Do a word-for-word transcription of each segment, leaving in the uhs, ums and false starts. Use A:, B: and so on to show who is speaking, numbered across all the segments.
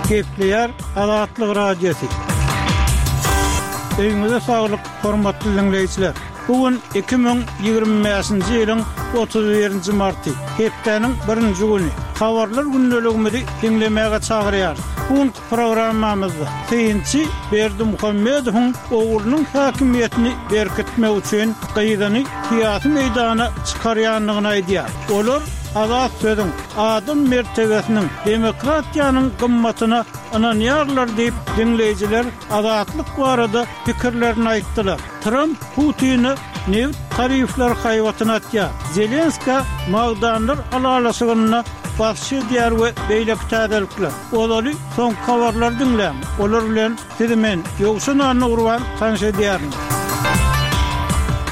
A: Gepleýär Azatlyk Radiosy. Öýüňize saglyk, hormatly diňleýjiler! Bu gün iki müň ýigrimi bäşinji ýylyň otuz birinji marty, hepdäniň birinji güni. Habarlar gündeligimizi diňlemäge çagyrýarys. Bu günki programmamyzda synçy Berdimuhamedowyň oglunyň häkimiýetini berkitmek üçin gyzyny syýasy meýdana çykarýandygyny aýdýar. Olar azat sözüň, adam mertebesiniň, demokratiýanyň gymmatyna ynanýarlar diýip, diňleýjiler Azatlyk barada pikirlerini aýtdylar. Tramp Putine nebit tarifleri haýbatyny atýar, Zelenskä magdanlar ylalaşygynda basyş edýär we beýleki täzelikler. Ozaly soňky habarlary diňläň, olar bilen sizi men, Ýowşan Annagurban tanyş edýärin.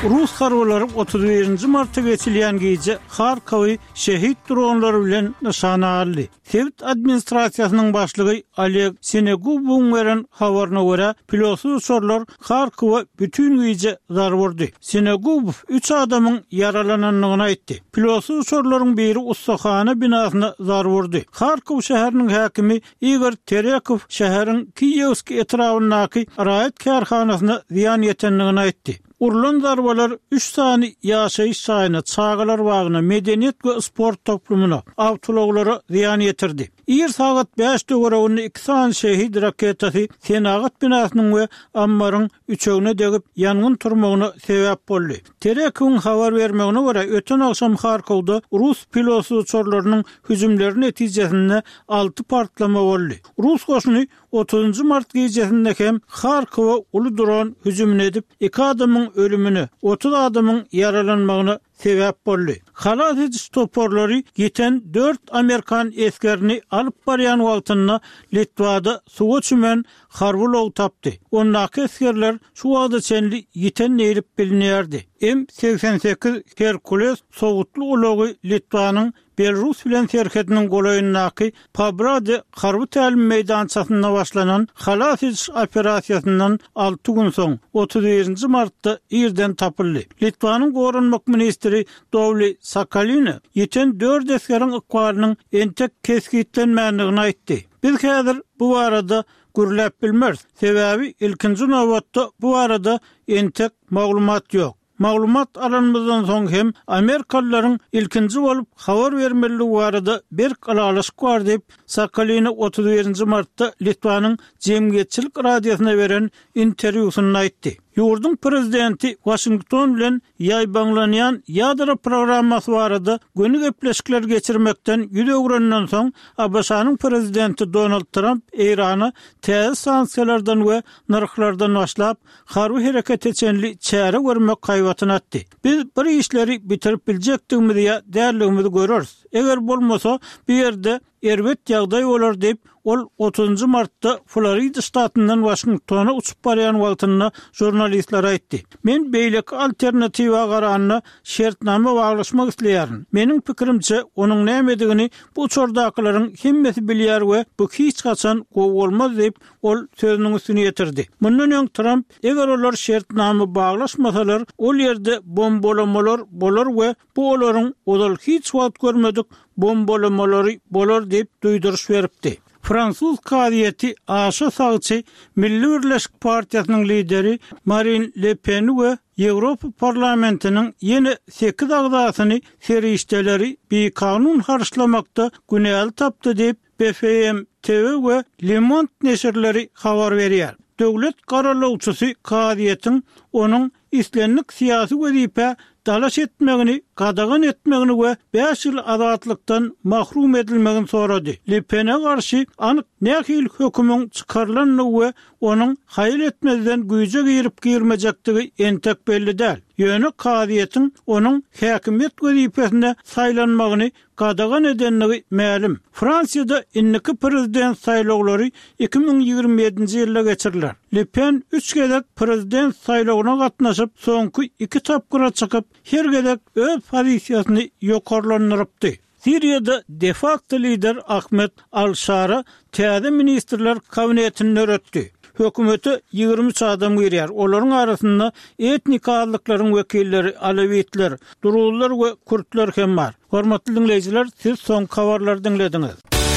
A: Rus harbylary otuz birinji marta geçilýän gije Harkowy şehit dronlary bilen nyşana aldy. Sebit administrasiýasynyň başlygy Oleg Sinegubowyň beren habaryna görä, pilotsyz uçarlar Harkowa bütin gije zarba urdy. Sinegubow üç adamyň ýaralanandygyny aýtdy. Pilotsyz uçarlaryň biri ussahana binasyna zarba urdy. Harkow şäheriniň häkimi Igor Terekow şäheriň Kiýewskiý etrabyndaky raýat kärhanasyna zyýan ýetendigini aýtdy. Urlan zarbalar üç sany ýaşaýyş jaýyna, çagalar bagyna, medeniýet we sport toplumyna, awtoulaglara zyýan ýetirdi. Ir sagat bäş töwereginde iki sany şehit raketasy senagat binasynyň we ammaryň üçegine degip, ýangyn turmagyna sebäp boldy. Terekowyň habar bermegine görä, öten agşam Harkowda rus pilotsyz uçarlarynyň hüjümleri netijesinde alty partlama boldy. Rus goşuny Otuzynjy mart gijesinde hem Harkowa uly dron hüjümini edip, iki adamyň ölümine, otuz adamyň ýaralanmagyna sebäp boldy. Halas ediş toparlary ýiten dört amerikan esgerini alyp barýan wagtynda Litwada suwa çümen harby ulag tapdy. Ondaky esgerler şu wagta çenli ýiten diýlip bilinýärdi. M segsen sekiz Herkules sowutly ulagy Litwanyň Belarus bilen serhediniň golaýyndaky Pabrade harby tälim meýdançasynda başlanan halas ediş operasiýasyndan alty gün soň, otuz birinji martda irden tapyldy. Litwanyň goranmak ministri Dowli Sakaline ýiten dört esgeriň ykbalynyň entek kesgitlenmändigini aýtdy. Biz häzir bu barada gürläp bilmeris, sebäbi ilkinji nobatda bu barada entek maglumat ýok. Maglumat alanymyzdan soň hem amerikalylaryň ilkinji bolup habar bermelidigi barada berk ylalaşyk bar diýip, Sakalina otuz birinji martda Litwanyň jemgyýetçilik radiosyna beren interwýusynda aýtdy. Ýurduň prezidenti Waşington bilen ýaýbaňlanýan ýadro programmasy barada göni gepleşikler geçirmekden ýüz öwrenden soň, ABŞ-nyň prezidenti Donald Tramp Eýrana täze sanksiýalardan we nyrhlardan başlap, harby herekete çenli çäre görmek haýbatyny atdy. Biz bir işleri bitirip biljekdigimizi ýa däldigimizi göreris. Eger bolmasa, bu ýerde erbet ýagdaý bolar diýip, ol otuzynjy martda Florida ştatyndan Waşingtona uçup barýan wagtynda žurnalistlere aýtdy. Men beýleki alternatiwa garanda şertnama baglaşmak isleýärin. Meniň pikirimçe, onuň nämedigini bu uçardakylaryň hemmesi bilýär we bu hiç haçan gowy bolmaz diýip, Ol sözüniň üstüni ýetirdi. Mundan öň Tramp, eger olar şertnama baglaşmasalar, ol ýerde bombalamalar bolar we bu olaryň ozal hiç wagt görmedik bombalamalary bolar diýip duýduryş beripdi. Fransuz kazyýeti aşa sagçy Milli Birleşik partiýasynyň lideri Marin Le Peni we Ýewropa Parlamentiniň ýene sekiz agzasyny serişdeleri bikanun harçlamakda günäli tapdy diýip, BFM TV we Le Monde neşirleri habar berýär. Döwlet garalawçysy kazyýetiň onuň islendik syýasy wezipä dalaş etmegini gadagan etmegini we bäş ýyl azatlykdan mahrum edilmegini sorady. Le Pene garşy anyk nähili hökümiň çykarylandygy we onuň haýal etmezden güýje girip-girmejekdigi entek belli däl. Ýöne kazyýetiň onuň häkimiýet wezipesine saýlanmagyny gadagan edendigi mälim. Fransiýada indiki prezident saýlawlary iki müň ýigrimi ýedinji ýylda geçiriler. Le Pen üç gezek prezident saýlawyna gatnaşyp, soňky iki tapgyra çykyp, her gezek öz pozisiýasyny ýokarlandyrypdy. Siriýada de-fakto lider Ahmed al-Şara täze ministrler kabinetini döretdi. Hökümete ýigrimi üç adam girýär. Olaryň arasynda etnik azlyklaryň wekilleri, alawitler, druzlar we kürtler hem bar. Hormatly diňleýjiler, siz soňky habarlary diňlediňiz.